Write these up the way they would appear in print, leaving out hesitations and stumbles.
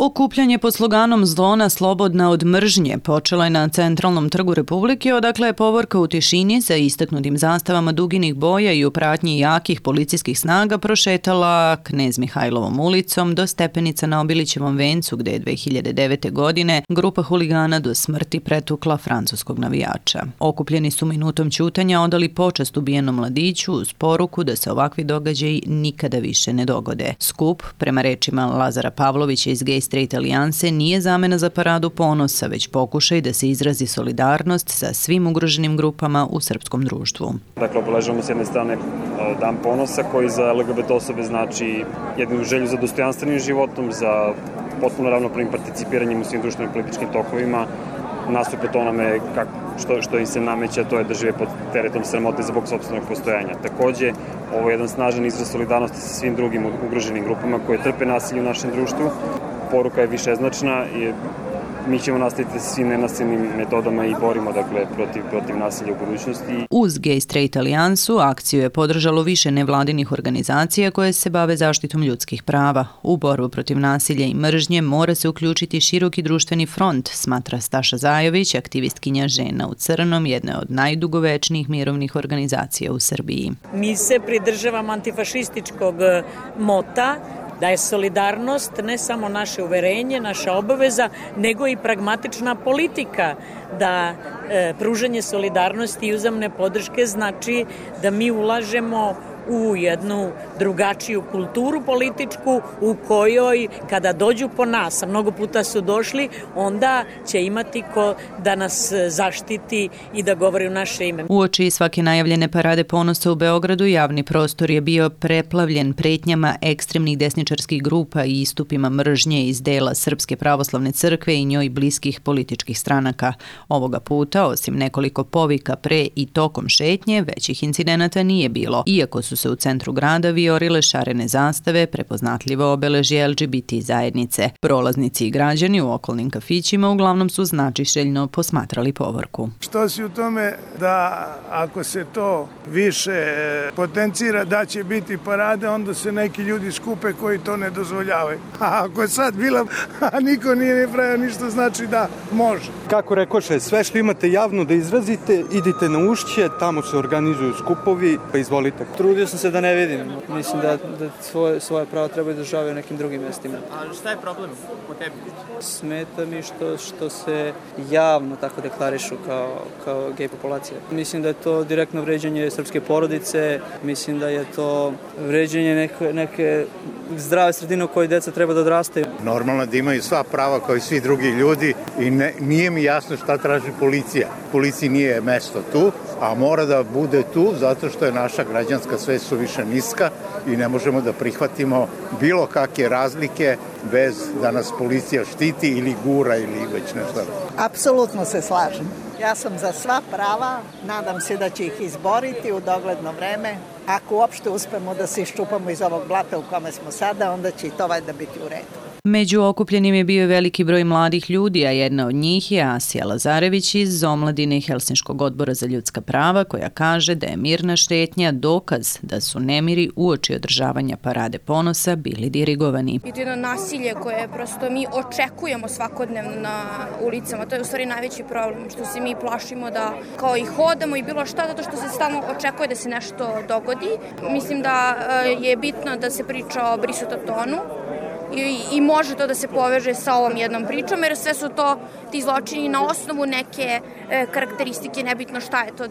Okupljanje pod sloganom Zona slobodna od mržnje počelo je na centralnom trgu Republike, odakle je povorka u tišini sa istaknutim zastavama duginih boja i u pratnji jakih policijskih snaga prošetala Knez Mihajlovom ulicom do stepenica na Obilićevom vencu, gde je 2009. godine grupa huligana do smrti pretukla francuskog navijača. Okupljeni su minutom ćutanja odali počast ubijenom mladiću uz poruku da se ovakvi događaji nikada više ne dogode. Skup, prema rečima Lazara Pavlovića iz Gay Straight alijanse, nije zamena za paradu ponosa, već pokušaj da se izrazi solidarnost sa svim ugroženim grupama u srpskom društvu. Dakle, obeležavamo s jedne strane Dan ponosa koji za LGBT osobe znači jednu želju za dostojanstvenim životom, za potpuno ravnopravnim participiranjem u svim društvenim političkim tokovima, nasuprot onome što im se nameće, to je da žive pod teretom sramote zbog sopstvenog postojanja. Takođe, ovo je jedan snažan izraz solidarnosti sa svim drugim ugroženim grupama koje trpe nasilje u našem društvu. Poruka je višeznačna i mi ćemo nastaviti sa svim nenasilnim metodama i borimo protiv nasilja u budućnosti. Uz Gay Straight alijansu akciju je podržalo više nevladinih organizacija koje se bave zaštitom ljudskih prava. U borbu protiv nasilja i mržnje mora se uključiti široki društveni front, smatra Staša Zajović, aktivistkinja Žena u crnom, jedna od najdugovečnijih mirovnih organizacija u Srbiji. Mi se pridržavamo antifašističkog mota da je solidarnost ne samo naše uverenje, naša obaveza, nego i pragmatična politika, da pružanje solidarnosti i uzajamne podrške znači da mi ulažemo u jednu drugačiju kulturu političku u kojoj kada dođu po nas, a mnogo puta su došli, onda će imati ko da nas zaštiti i da govori u naše ime. Uoči svake najavljene parade ponosa u Beogradu javni prostor je bio preplavljen pretnjama ekstremnih desničarskih grupa i istupima mržnje iz dela Srpske pravoslavne crkve i njoj bliskih političkih stranaka. Ovoga puta, osim nekoliko povika pre i tokom šetnje, većih incidenata nije bilo, iako su se u centru grada viorile šarene zastave, prepoznatljivo obeležje LGBT zajednice. Prolaznici i građani u okolnim kafićima uglavnom su značišeljno posmatrali povorku. Što si u tome da ako se to više potencira da će biti parade, onda se neki ljudi skupe koji to ne dozvoljavaju. A ako je sad bila, a niko nije ne pravio ništa, znači da može. Kako rekoše, sve što imate javno da izrazite, idite na Ušće, tamo se organizuju skupovi, pa izvolite. Trudio sam se da ne vidim. Mislim da svoje pravo treba izražavaju u nekim drugim mestima. A šta je problem po tebi? Smeta mi što se javno tako deklarišu kao gej populacija. Mislim da je to direktno vređanje srpske porodice, mislim da je to vređanje neke zdrave sredine u kojoj deca treba da odrastaju. Normalno da imaju sva prava kao i svi drugi ljudi i nije mi jasno šta traži policija. Policiji nije mesto tu, a mora da bude tu zato što je naša građanska svest suviše niska i ne možemo da prihvatimo bilo kakve razlike bez da nas policija štiti ili gura ili već nešto. Apsolutno se slažem. Ja sam za sva prava, nadam se da će ih izboriti u dogledno vreme. Ako uopšte uspemo da se iščupamo iz ovog blata u kome smo sada, onda će i to valjda biti u redu. Među okupljenim je bio veliki broj mladih ljudi, a jedna od njih je Asija Lazarević iz Omladine Helsinškog odbora za ljudska prava, koja kaže da je mirna šetnja dokaz da su nemiri uoči održavanja parade ponosa bili dirigovani. I to je jedno nasilje koje prosto mi očekujemo svakodnevno na ulicama. To je u stvari najveći problem, što se mi plašimo da kao i hodamo i bilo šta, zato što se stalno očekuje da se nešto dogodi. Mislim da je bitno da se priča o Brisutotonu, i može to da se poveže sa ovom jednom pričom, jer sve su to ti zločini na osnovu neke karakteristike, nebitno šta je to,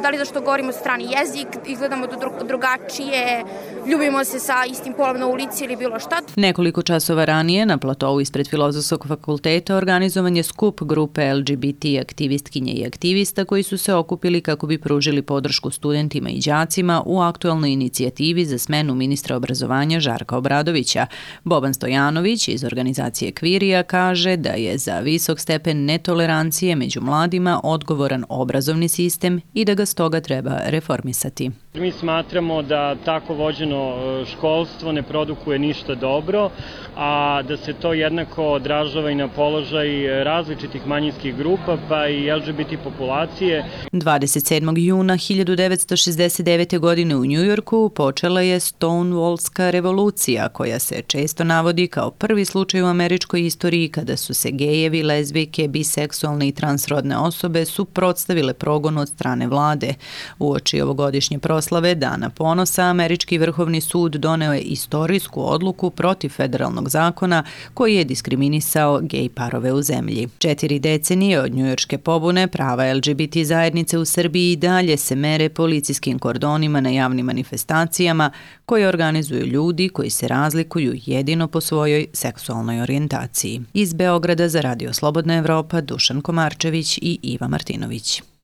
da li zašto govorimo strani jezik, izgledamo drugačije, ljubimo se sa istim polom na ulici ili bilo šta. Nekoliko časova ranije na platovu ispred Filozofskog fakulteta organizovan je skup grupe LGBT aktivistkinje i aktivista koji su se okupili kako bi pružili podršku studentima i đacima u aktuelnoj inicijativi za smenu ministra obrazovanja Žarka Obradovića. Boban Stojanović iz organizacije Kvirija kaže da je za visok stepen netolerancije među mladima odgovoran obrazovni sistem i da ga stoga treba reformisati. Mi smatramo da tako vođeno školstvo ne produkuje ništa dobro, a da se to jednako odražava i na položaj različitih manjinskih grupa, pa i LGBT populacije. 27. juna 1969. godine u Njujorku počela je Stonewallska revolucija, koja se koje često navodi kao prvi slučaj u američkoj istoriji kada su se gejevi, lezbijke, biseksualne i transrodne osobe suprotstavile progonu od strane vlade. Uoči ovogodišnje proslave Dana ponosa, američki vrhovni sud doneo je istorijsku odluku protiv federalnog zakona koji je diskriminisao gej parove u zemlji. 4 decenije od njujorške pobune prava LGBT zajednice u Srbiji i dalje se mere policijskim kordonima na javnim manifestacijama koje organizuju ljudi koji se razlikuju jedino po svojoj seksualnoj orijentaciji. Iz Beograda za Radio Slobodna Evropa Dušan Komarčević i Iva Martinović.